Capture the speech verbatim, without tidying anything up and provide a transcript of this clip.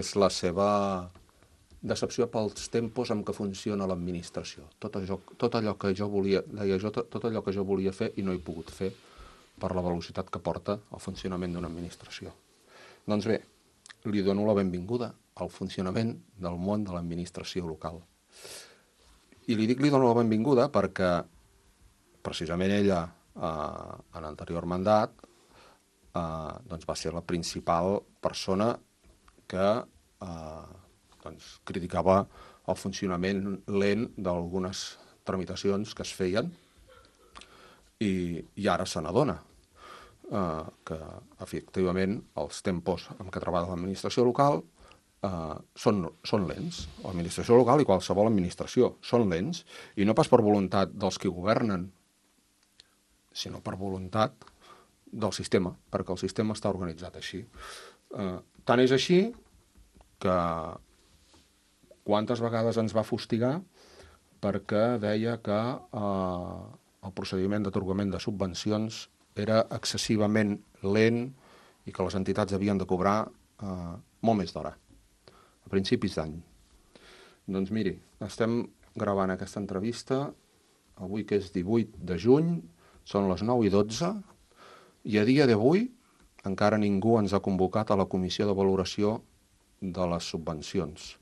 És la seva decepció pels tempos amb què funciona l'administració. Tot allò, tot allò que jo volia, deia jo, tot allò que jo volia fer i no he pogut fer per la velocitat que porta el funcionament d'una administració. Doncs bé, li dono la benvinguda al funcionament del món de l'administració local. I li dic li dono la benvinguda perquè precisament ella, eh, en l'anterior mandat, eh, doncs va ser la principal persona que eh, doncs, criticava el funcionament lent d'algunes tramitacions que es feien i, i ara se n'adona eh, que efectivament els tempos en què treballa l'administració local eh, són, són lents. L'administració local i qualsevol administració són lents, i no pas per voluntat dels que governen, sinó per voluntat del sistema, perquè el sistema està organitzat així. Eh, tant és així que quantes vegades ens va fustigar perquè deia que eh, el procediment d'atorgament de subvencions era excessivament lent i que les entitats havien de cobrar eh, molt més d'hora, a principis d'any. Doncs miri, estem gravant aquesta entrevista avui, que és divuit de juny, són les nou i dotze, i a dia d'avui encara ningú ens ha convocat a la comissió de valoració de les subvencions.